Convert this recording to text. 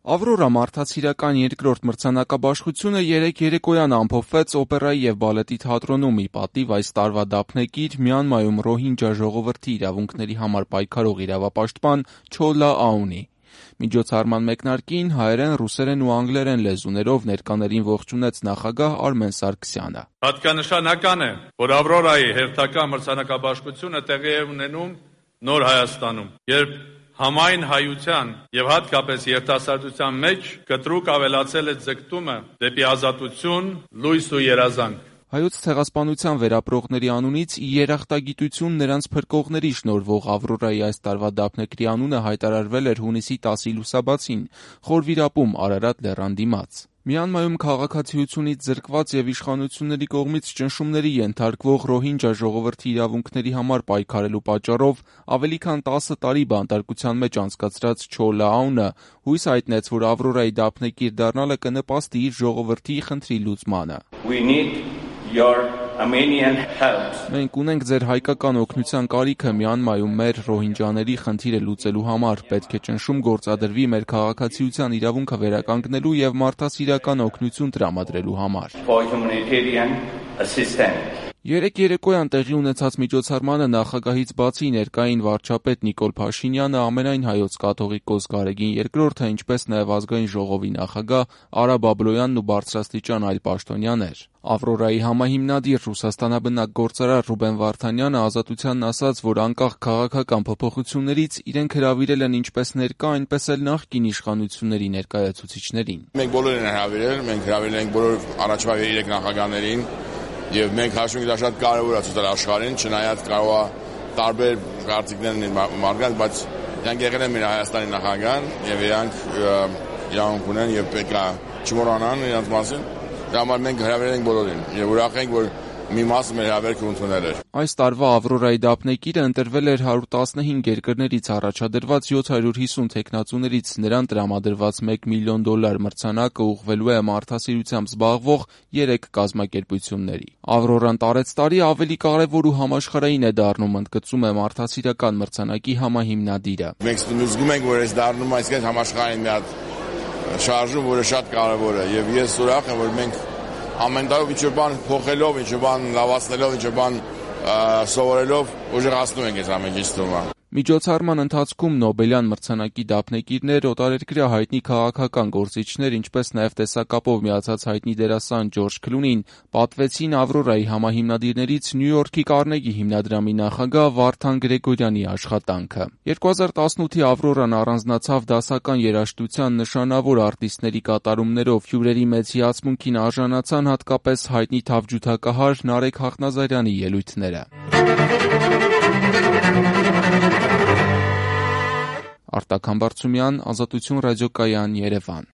Ավրորա մարդասիրական երկրորդ մրցանակաբաշխությունը երեկ երեկոյան ամփոփվեց օպերայի և բալետի թատրոնում՝ ի պատիվ այս տարվա դափնեկիր Մյանմայում ռոհինջա ժողովրդի իրավունքների համար պայքարող իրավապաշտպան Չոլա Աունի։ Միջոցառման մեկնարկին հայերեն, ռուսերեն ու անգլերեն լեզուներով ներկաներին ողջունեց նախագահ Արմեն Սարգսյանը։ Հատկանշական է, որ Ավրորայի հերթական մրցանակաբաշխությունը տեղի է ունենում նոր Հայաստանում, երբ համայն հայության եւ հատկապես երիտասարդության մեջ կտրուկ ավելացել է ձգտումը դեպի ազատություն, լույս ու երազանք։ Հայոց ցեղասպանության վերապրողների անունից ի երախտագիտություն նրանց փրկողների շնորհվող Ավրորայի այս տարվա դափնեկրի անունը հայտարարվել էր հունիսի 10-ի լուսաբացին Խորվիրապում Արարատ լեռան դիմաց։ Մյանմայում քաղաքացիությունից զրկված եւ իշխանությունների կողմից ճնշումների ենթարկվող ռոհինջա ժողովրդի իրավունքների համար պայքարելու պատճառով ավելի քան 10 տարի բանտարկության մեջ անցկացրած Չոլա Աունը հույս հայտնեց, որ Ավրորայի դափնեկիր դառնալը կնպաստի իր ժողովրդի խնդրի լուծմանը։ Մենք ունենք ձեր հայկական օգնության կարիքը Մյանմայում մեր ռոհինջաների խնդիրը լուծելու համար, պետք է ճնշում գործադրվի մեր քաղաքացիության իրավունքը վերականգնելու եւ մարդասիրական օգնություն տրամադրելու համար։ Երեկ երեկոյան տեղի ունեցած միջոցառմանը նախագահից բացի ներկային վարչապետ Նիկոլ Փաշինյանը, ամենայն հայոց կաթողիկոս Գարեգին II-ը, ինչպես նաև ազգային ժողովի նախագահ Արա Բաբլոյանն ու բարձրաստիճան այլ պաշտոնյաներ։ Ավրորայի համահիմնադիր Ռուսաստանաբնակ գործարար Ռուբեն Վարդանյանը Ազատությանն ասաց, որ անկախ քաղաքական փոփոխություններից իրենք հրավիրել են ինչպես ներկա, այնպես էլ նախկին իշխանությունների ներկայացուցիչներին։ Մենք բոլորին հրավիրել, մենք հրավիրել ենք բոլոր առաջվա 3 նախագահներին եւ մենք հաշվում ենք դա շատ կարեւոր է ցույցել աշխարհին, չնայած կարող է տարբեր կարծիքներ ունենալ մարդկանց, բայց իրանք եղել են մեր Հայաստանի նախագահան եւ իրանք իրավունք ունեն եւ պետք է չմոռանան իրանց մասին։ Դա համար մենք հրավիրել ենք բոլորին եւ ուրախ ենք, որ մի մասը մեր հավերքը ընդունել էր։ Այս տարվա Ավրորայի դափնեկիրը ընտրվել էր 115 երկրներից առաջադրված 750 թեկնածուներից, նրան տրամադրված $1 միլիոն մրցանակը ուղղվելու է մարդասիրությամբ զբաղվող 3 կազմակերպությունների։ Ավրորան տարեցտարի ավելի կարևոր ու համաշխարհային է դառնում, ընդգծում է մարդասիրական մրցանակի համահիմնադիրը։ Մենք զգում ենք, որ այս դառնում է այսպես համաշխարհային մի հատ շարժում, որը շատ կարևոր է եւ ես ուրախ եմ, որ մենք ամեն տարի ինչ-որ բան փոխելով, ինչ-որ բան լավացնելով, ինչ-որ բան սովորելով ուժեղ հասնում ենք այս ամեն ինչի ստումը։ Միջոցառման ընթացքում Նոբելյան մրցանակի դափնեկիրներ, օտարերկրյա հայտնի քաղաքական գործիչներ, ինչպես նաև տեսակապով միացած հայտնի դերասան Ջորջ Քլունին պատվեցին Ավրորայի համահիմնադիրներից Նյու Յորքի Կարնեգի հիմնադրամի նախագահ Վարդան Գրեգորյանի աշխատանքը։ 2018-ի Ավրորան առանձնացավ դասական երաժշտության նշանավոր արտիստների կատարումներով, հյուրերի մեծ հիացմունքին արժանացան հատկապես հայտնի թավջութակահար Նարեկ Հաղնազարյանի ելույթները։ Արտակ Համբարձումյան, Ազատություն ռադիոկայան, Երևան։